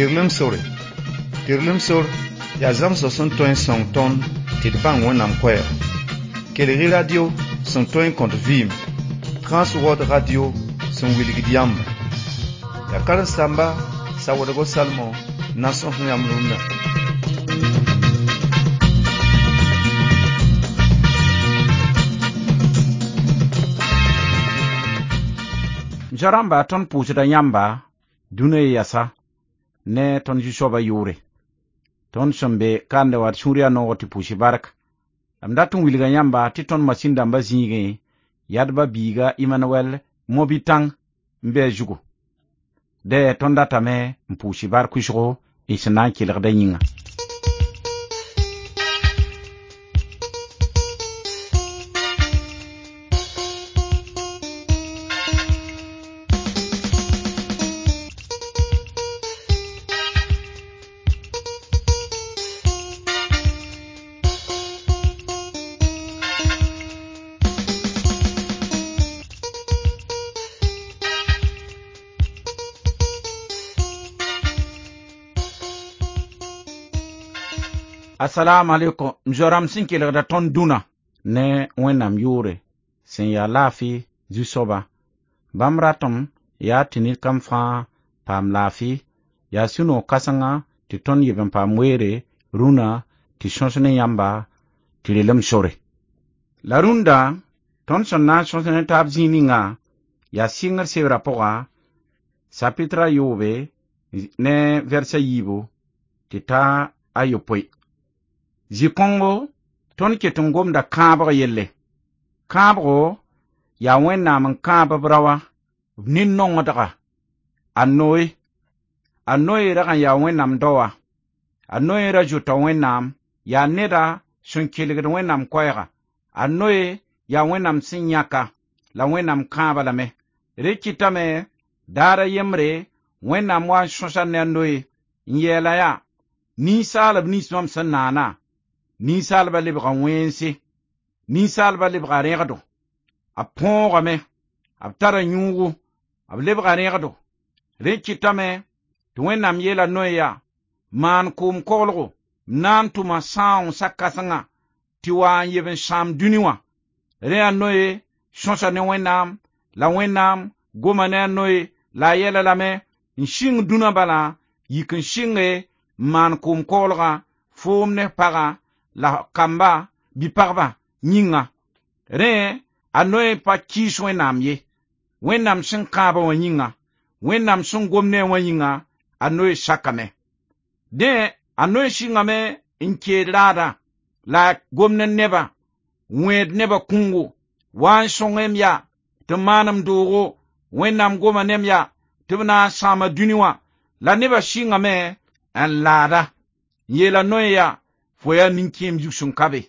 Tɩrlem sore. Tɩrlem sor yaa zãmsg sẽn tõe n sõng tõnd tɩ d bãng Wẽnnaam koɛɛg. Kelg-y radio sẽn tõe n kõt vɩɩm, Trans World Radio sẽn wilgd yãmba. Yaa karen-saamba Sawoodgo Salmon n na n sõs yãmb rũndã. Zoa-rãmba tõnd pʋʋsda yãmba dũniyã yɛsa ne tõnd Zu-soabã yʋʋre. Tõnd sẽn be kandẽ wã d sũur yaa noog tɩ pʋʋs bark. La m dat n wilga yãmba tɩ tõnd masĩn dãmbã zĩigẽ yadba biiga Emmanuel Mobitãng n be a zugu. Dẽ tõnd datame n pʋʋs bark wʋsgo y sẽn na n kelgdã yĩnga. Assalamu alaikum m zoa-rãmb sẽn kelgda tõnd dũnã ne Wẽnnaam yʋʋre sẽn yaa laafɩ Zu-soaba. Bãmb ratem yaa tɩ ned kam fãa paam laafɩ, yaa sũ-noog kãsenga tɩ tõnd yeb n paam weere rũnã tɩ sõs ne yãmba tɩ relem sore. La rũndã tõnd sẽn na n sõs ne taab zĩig ninga yaa sɩngr sebrã pʋga sapitra a yoobe ne vɛrsa yiibu tɩ ta a yopoe. Zĩ-kõngo tõnd ket n gomda kãabg yelle. Kãabgo yaa Wẽnnaam n kãab b raoã b nin-nongdga a Noe. A Noe rag n yaa Wẽnnaam daoa. A Noe ra zʋta Wẽnnaam, yaa neda sẽn kelgd Wẽnnaam koɛɛga. A Noe yaa Wẽnnaam sẽn yãka la Wẽnnaam kãaba lame. Rẽ kɩtame daar a yembre Wẽnnaam wa n sõsa ne a Noe n yɛɛla yaa ninsaalb nins mam sẽn naana ninsaalba lebga wẽnse, ninsaalba lebga rẽgdo, b põogame, b tara yũugu, b lebga rẽgdo. Rẽ kɩtame tɩ Wẽnnaam yeela Noe yaa maan koom koglgo m na n tʋma sãoong sa-kãsenga tɩ wa n yeb n sãam dũni wã. Rẽ a Noe sõsa ne Wẽnnaam la Wẽnnaam goma ne a Noe la a yɛla lame n sɩng dũnã bala yik n sɩnge n maan koom koglgã foom ne pagã la kamba bi-pagba yĩnga. Rẽ a Noe pa kɩɩs Wẽnnaam ye. Wẽnnaam sẽn kãabã wã yĩnga, Wẽnnaam sẽn gom ne a wã yĩnga, a Noe sakame. Dẽ a Noe sɩngame n keed raadã la a gom ne nebã, wẽed nebã kũngo, wa n sõngem yaa tɩ maan m doogo, Wẽnnaam goma nem yaa tɩ b na n sãama dũni wã. La nebã sɩngame n laada n yeela Noe yaa fo yaa nin-kẽem zug sẽn ka be.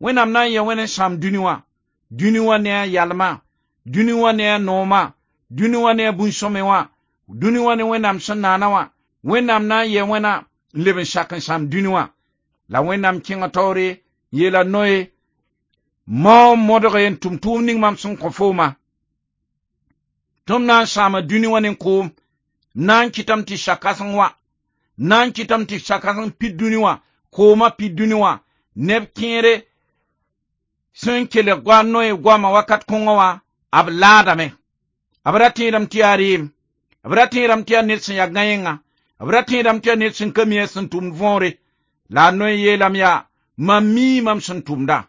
Wẽnnaam na n yɛ wẽn n sãam dũni wã, dũni wã ne a yalmã, dũni wã ne a noomã, dũni wã ne a bũn-sõme wã, dũni wã ne Wẽnnaam sẽn naana wã. Wẽnnaam na n yɛ wẽna n leb n sak n sãam dũni wã. La Wẽnnaam kẽnga taoore n yeela Noe mao n modge n tʋm tʋʋm ning mam sẽn kõ fooma. Tɩ m na n sãama dũni wã ne koom, m na n kɩtame tɩ sa-kãseng wã, m na n kɩtame tɩ sa-kãseng pid dũni wã, koomã pid dũni wã, neb kẽere sẽn kelg goa Noe goamã wakat kõngã wã, b laadame. B ra tẽedame tɩ yaa reem, b ra tẽedame tɩ yaa ned sẽn yaa gãenga, b ra tẽedame tɩ yaa ned sẽn ka mi a sẽn tʋmd võore. La a Noe yeelame yaa, mam mii mam sẽn tʋmda,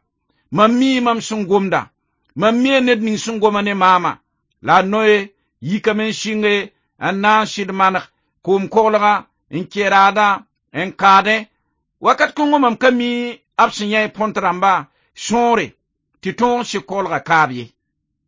mam mii mam sẽn gomda, mam mia ned ning sẽn goma ne maama. La a Noe yikame n sɩnge n na n sɩd maneg koom koglgã n kẽ raadã n kaadẽ. Wakat kõngo mam ka mi b sẽn yã põnt rãmba sõore tɩ tõog n sɩ koglgã kaab ye.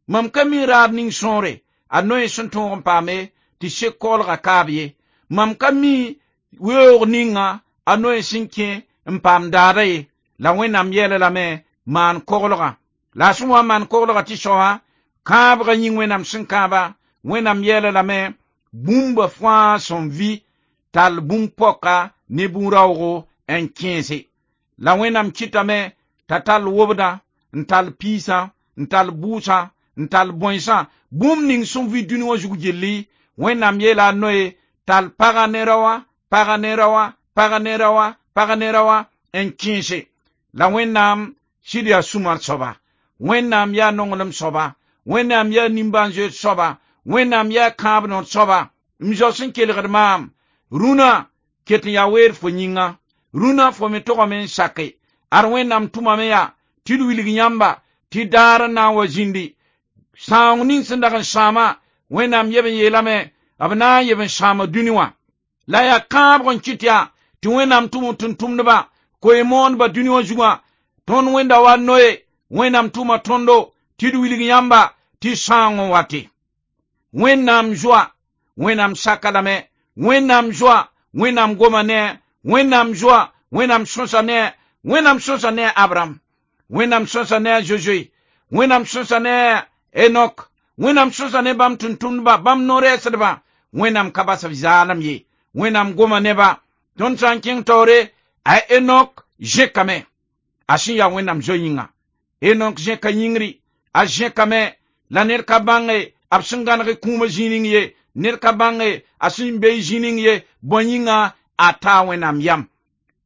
Mam ka mi raad ning sõore a Noe sẽn tõog n paame tɩ sek koglgã kaab ye. Mam ka mi weoog ninga a Noe sẽn kẽ n paam daada ye. La Wẽnnaam yɛɛla lame maan koglgã. La a sẽn wa n maan koglgã tɩ soaba kãabgã yĩng Wẽnnaam sẽn kãaba, Wẽnnaam yɛɛla lame bũmba fãa sẽn vɩ tall bũmb-poaka ne bũn-raoogo n kẽese. La Wẽnnaam kɩtame t'a tall wobdã, n tall piisã, n tall bʋʋsã, n tall bõensã, bũmb ning sẽn vɩ dũni wã zug gilli. Wẽnnaam yeela a Noe tall pagã ne raoã Pagã ne raoã, pagã ne raoã, pagã ne raoã n kẽese. La Wẽnnaam sɩd yaa sũ-mar soaba. Wẽnnaam yaa nonglem soaba. Wẽnnaam yaa nimbãan-zoeer soaba. Wẽnnaam yaa kãab noor soaba. M zao sẽn kelgd maam, rũnã ket n yaa weer fo yĩnga. Rũnã fo me togame n sake. Ad Wẽnnaam tʋmame yaa tɩ d wilg yãmba tɩ daar n na n wa zĩndi. Sãoong ning sẽn dag n sãama, Wẽnnaam yeb n yeelame b na n yeb n sãama dũni wã. La yaa kãabg n kɩt yaa tɩ Wẽnnaam tʋm tʋm-tʋmdbã koe-moondbã dũni wã zugã. Tõnd wẽnda wa noe Wẽnnaam tʋma tõndo tɩ d wilg yãmba tɩ sãoong n wate. Wẽnnaam zoa, Wẽnnaam saka lame, Wẽnnaam zoa, Wẽnnaam goma ne, Wẽnnaam zoa, Wẽnnaam sõsa ne, Wẽnnaam sõsa ne Abraham, Wẽnnaam sõsa ne a Zozoe, Wẽnnaam sõsa ne Enok, Wẽnnaam sõsa ne bãmb tʋm-tʋmdbã, bãmb no-rɛɛsdbã. Wẽnnaam ka bas b zaalem ye. Wẽnnaam goma neba. Tõnd sã n kẽng taoore, a Enok zẽkame. A sẽn yaa Wẽnnaam zoe yĩnga. Enok zẽka yĩngri, a zẽkame la ned ka bãnge b sẽn gãneg kũumã zĩig ning ye, ned ka bãnge a sẽn be zĩig ning ye, bõe yĩnga a taa Wẽnnaam yam.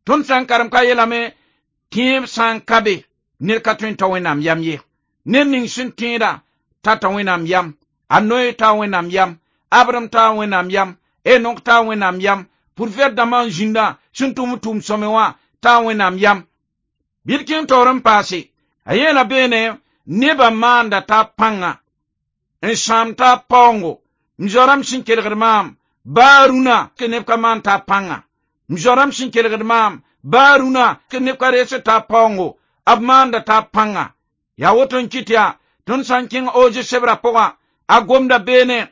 Tõnd sã n karem ka yeelame, tẽeb sã n ka be, ned ka tõe n ta Wẽnnaam yam ye. Ned ning sẽn tẽeda tata Wẽnnaam yam, a Noe taa Wẽnnaam yam, Abraham taa Wẽnnaam yam, Enok taa Wẽnnaam yam, profɛt dãmbã n zĩnda sẽn tʋm tʋʋm sõme wã taa Wẽnnaam yam. Bɩ d kẽng taoor n paase, a yeela beene nebã maanda t'a pãnga n sãam t'a paoongo. M zoa-rãmb sẽn kelgd maam, baa rũnã tɩ neb ka maan t'a pãnga. M zoa-rãmb sẽn kelgd maam, baa rũnã tɩ neb ka rees t'a paoongo, b maanda t'a pãnga. Yaa woto n kɩt yaa, tõnd sã n kẽng Oze sebrã pʋgã, a gomda beene,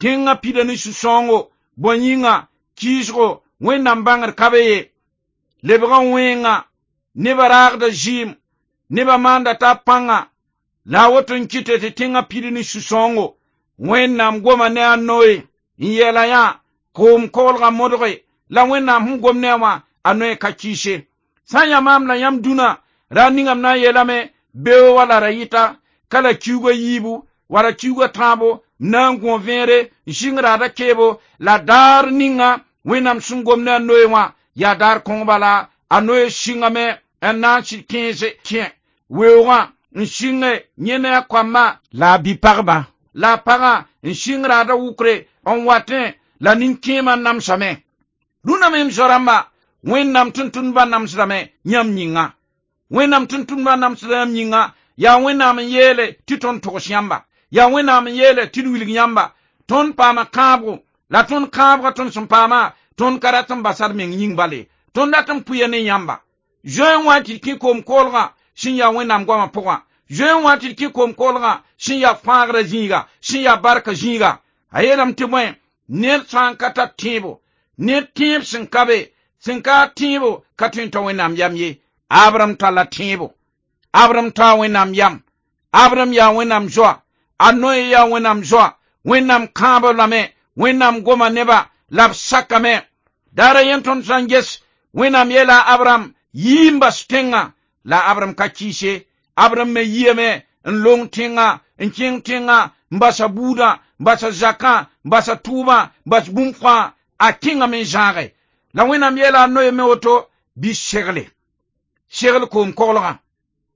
tẽngã pida ne sũ-sãoongo, bõe yĩnga, kɩɩsgo, Wẽnnaam bãngr ka be ye. Lebgã wẽnga, nebã raagda zɩɩm, nebã maanda t'a pãnga, la a woto n kɩte tɩ tẽngã pid ne sũ-sãoongo. Wẽnnaam goma ne a Noe n yeela yã koom koglgã modge, la Wẽnnaam sẽn gom ne a wã, a Noe ka kɩɩse. Sã n yaa maam la yãmb dũnã, ra ningame na n yeelame, beoog wala ra yɩta, ka la kiuugã yiibu, wala kiuugã tãabo, m na n gõ vẽere, n sɩng raada keebo, la daar ninga Wẽnnaam sẽn gom ne a Noe wã, yaa daar kõng bala, a Noe sɩngame n na n sɩd kẽese kẽ weoogã n sɩnge yẽ ne a koamba la a bi-pagba la a pagã n sɩng raada wʋkre n watẽ la nin-kẽemã namsame. Rũnã me m zoa-rãmba, Wẽnnaam tʋm-tʋmdbã namsdame yãmb yĩnga. Wẽnnaam tʋm-tʋmdbã namsda yãmb yĩnga, yaa Wẽnnaam n yeele tɩ tõnd togs yãmba. Yaa Wẽnnaam n yeele tɩ d wilg yãmba. Tõnd paama kãabgo, la tõnd kãabgã tõnd sẽn paama, tõnd ka rat n basa d meng yĩng bale. Tõnd rat n pʋya ne yãmba. Zoe n wa tɩ d kẽ koom-koolgã sẽn yaa Wẽnnaam goamã pʋgã. Zoe n wa tɩ d kẽ koom-koolgã sẽn yaa fãagrã zĩiga, sẽn yaa barka zĩiga. A yeelame tɩ bõe, ned sã n ka tar tẽebo, ned tẽeb sẽn ka be, sẽn ka tẽebo ka tõe n ta Wẽnnaam yam ye. Abraham talla tẽebo. Abraham taa Wẽnnaam yam. Abraham yaa Wẽnnaam zoa. A Noe yaa Wẽnnaam zoa. Wẽnnaam kãaba lame, Wẽnnaam goma neba, la b sakame. Daara yẽn tõnd sã n ges, Wẽnnaam yeela Abraham, yii n bas tẽngã, la Abraham ka kɩɩse. Abraham me yiame n long tẽngã, n kẽng tẽngã, n basa buudã, n basa zakã, n basa tʋʋmã, n bas bũmb fãa, a kẽngame n zãage. La Wẽnnaam yeela a Noe me woto, bɩ segle. Segl koom-koglgã,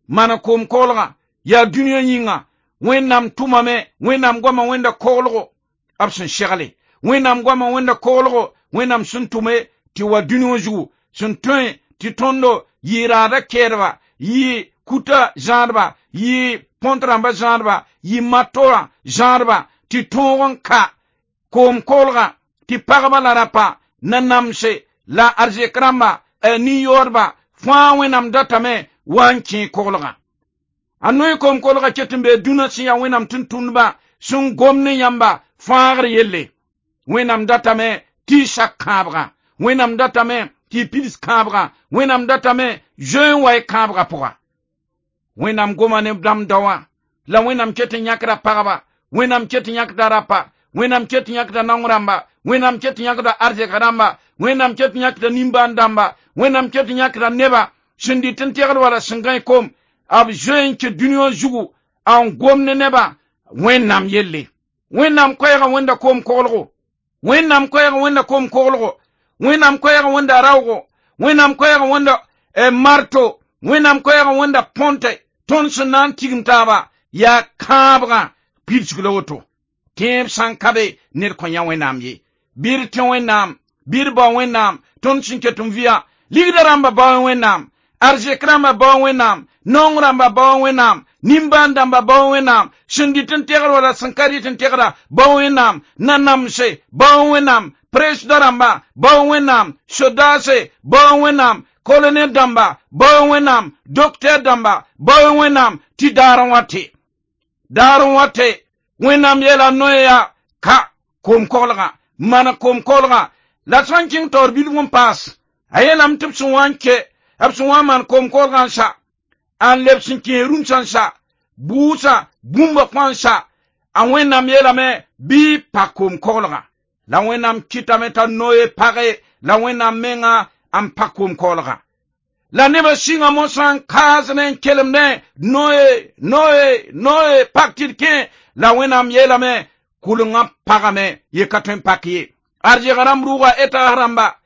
maan koom-koglgã, yaa dũniyã yĩnga, Wẽnnaam tʋmame, Wẽnnaam goamã wẽnda koglgo, b sẽn segle. Wẽnnaam goamã wẽnda koglgo, Wẽnnaam sẽn tʋme tɩ wa dũni wã zugu, sẽn tõe tɩ tõndo yɩ raada kɛɛdba, yɩ kuta zãadba, yɩ põnt rãmba zãadba, yɩ matoã zãadba, tɩ tõog n ka koom-koglgã, tɩ pagba la rapa na namse la arzɛk rãmba, nin-yaoodba, fãa Wẽnnaam datame wa n kẽ koglgã. A Noe koom-koglgã ket n bee dũnã sẽn yaa Wẽnnaam tʋm-tʋmdbã sẽn gom ne yãmba fãagr yelle. Wẽnnaam datame tɩ y sak kãabgã. Wẽnnaam datame tɩ y pids kãabgã. Wẽnnaam datame zoe n wa y kãabgã pʋga. Wẽnnaam goma ne dãmb daowã, la Wẽnnaam ket n yãkda pagba, Wẽnnaam ket n yãkda rapa, Wẽnnaam ket n yãkda naong rãmba, Wẽnnaam ket n yãkda arzɛk rãmba, Wẽnnaam ket n yãkda nimbãan dãmba, Wẽnnaam ket n yãkda neba sẽn dɩt n tegd wala sẽn gãe kom, b zoe n kẽ dũni wã zugu n gom ne nebã Wẽnnaam yelle. Wẽnnaam koɛɛgã wẽnda koom-koglgo. Wẽnnaam koɛɛgã wẽnda koom-koglgo. Wẽnnaam koɛɛg wẽnda raoogo, Wẽnnaam koɛɛg wẽnda marto, Wẽnnaam koɛɛg wẽnda põnte. Tõnd sẽn na n tigim taaba yaa kãabgã pidsg la woto. Tẽeb sã n ka be ned kõ yã Wẽnnaam ye. Bɩ d tẽ Wẽnnaam, bɩ d bao Wẽnnaam, tõnd sẽn ket n vɩa ligda rãmba bao Wẽnnaam, arzɛk rãmba bao Wẽnnaam, naong rãmba bao Wẽnnaam, nimbãan dãmba bao Wẽnnaam, sẽn dɩt n tegr wala sẽn ka dɩt n tegra bao Wẽnnaam, nanamse bao Wẽnnaam, presdã rãmba bao Wẽnnaam, sodaase bao Wẽnnaam, kolonɛl dãmba bao Wẽnnaam, doktɛr dãmba bao Wẽnnaam, tɩ daar n wa tɩ. Daar n wa tɩ Wẽnnaam yeela noe yaa ka koom-koglgã, maan koom-koglgã la sã n kẽng taoor bilf n paas. A yeelame tɩ b sẽn wa n ke, b sẽn wa n maan koom-koglgã n sa, n leb sẽn kẽes rũmsã n sa, bʋʋsã bũmba kõa n sa, a Wẽnnaam yeelame bɩ pa koom-koglgã. La Wẽnnaam kɩtame t'a noe page, la Wẽnnaam menga n pa koom-koglgã. La nebã sɩnga mosã n kaasdẽ n kelemdẽ noe, noe, noe, pak tɩ d kẽ, la Wẽnnaam yeelame kʋlengã pagame ye ka tõe n pak ye. Arzɛg rãmb rʋʋga etaas rãmba,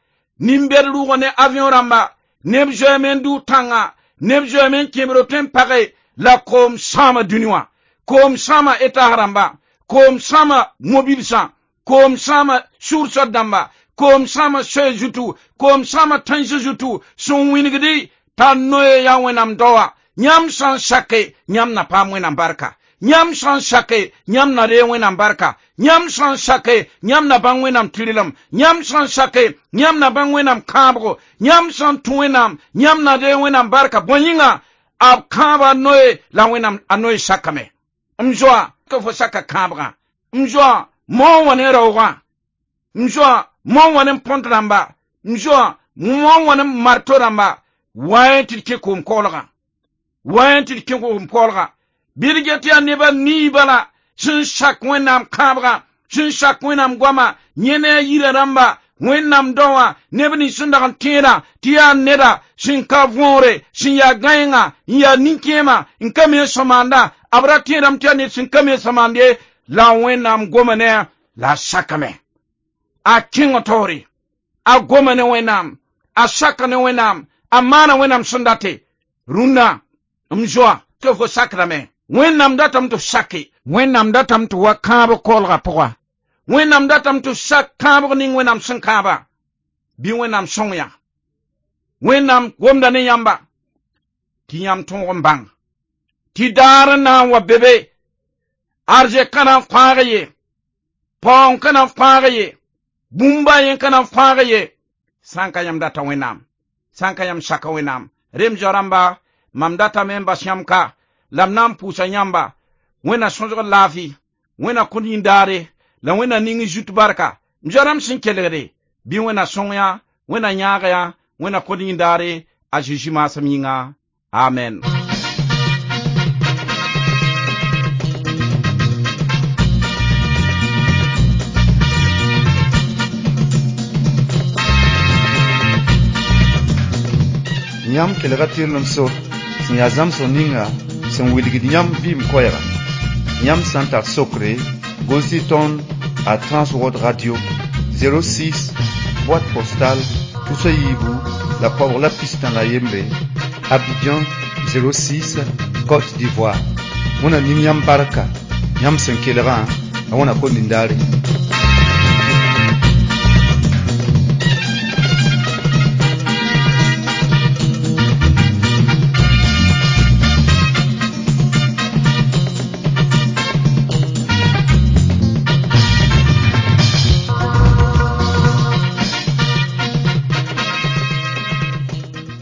nin-bɛd rʋʋga ne avion rãmba, neb zoeeme n dʋ tãnga, neb zoeeme n kẽbr tõe n page, la koom sãama dũni wã. Koom sãama etaas rãmba, koom sãama mobilsã, koom sãama sʋʋrsã dãmba, koom sãama soɛ zutu, koom sãama tãens zutu, sẽn wĩnigdi t'a noe yaa Wẽnnaam daoa. Yãmb sã n sake, yãmb na paam Wẽnnaam barka. Yãmb sã n sake, yãmb na reeg Wẽnnaam barka. Yãmb sã n sake, yãmb na bãng Wẽnnaam tɩrlem. Yãmb sã n sake, yãmb na bãng Wẽnnaam kãabgo. Yãmb sã n tũ Wẽnnaam, yãmb na reeg Wẽnnaam barka. Bõe yĩnga, b kãaba noe la Wẽnnaam a noe sakame. M zoa, tɩ fo saka kãabgã. M zoa, moon wã ne raoogã. M zoa, moon wã ne põnt rãmba. M zoa, moon wã ne marto rãmba. Wa tɩ d kẽ koom-koglgã. Wa tɩ d kẽ koom-koglgã. Bɩ d get yaa nebã nii bala sẽn sak Wẽnnaam kãabgã, sẽn sak Wẽnnaam goama, yẽ ne a yirã rãmba, Wẽnnaam daowã, neb nins sẽn dag n tẽedã tɩ yaa neda sẽn ka võore, sẽn yaa gãenga, n yaa nin-kẽema, n ka me n sõmaanda, b ra tẽedame tɩ yaa ned sẽn ka me n sõmaand ye, la Wẽnnaam goma ne a la a sakame. A kẽng taoore, a goma ne Wẽnnaam, a saka ne Wẽnnaam, a maana Wẽnnaam sẽn date. Rũndã, m zoa, tɩ fo sakdame. Wẽnnaam datame tɩ f sake, Wẽnnaam datame tɩ wa kãab koolgã pʋga. Wẽnnaam datame tɩ f sak kãabg ning Wẽnnaam sẽn kãaba, bɩ Wẽnnaam sõng yã. Wẽnnaam gomda ne yãmba tɩ yãmb tõog n bãng tɩ daar n na n wa be be, arzɛk ka na n fãag ye, paoong ka na n fãag ye, bũmba yẽ ka na n fãag ye, sã n ka yãmb data Wẽnnaam, sã n ka yãmb saka Wẽnnaam. Rem zoa-rãmba, mam datame n bas yãmb ka, la m na n pʋʋsa yãmba, Wẽnna sõsg laafɩ, Wẽnna kõt yĩndaare, la Wẽnna ning zut barka. M zoa-rãmb sẽn kelgde, bɩ Wẽnna sõng yã, Wẽnna yãag yã, Wẽnna kõt yĩndaare, a Zeezi maasem yĩnga. Amen. Yãmb kelga tɩrlem sor sẽn yaa zãmsg ninga sẽn wilgd yãmb vɩɩm koɛɛga. Yãmb sã n tar sokre, gʋls-y tõnd a Transworld Radio 06, boîte postale tusa yiibu la koabg la pistã la yembre, Abidjan 06, Côte d'Ivoire. Wẽnna ning yãmb barka, yãmb sẽn kelgã, a wẽna kõt nindaare.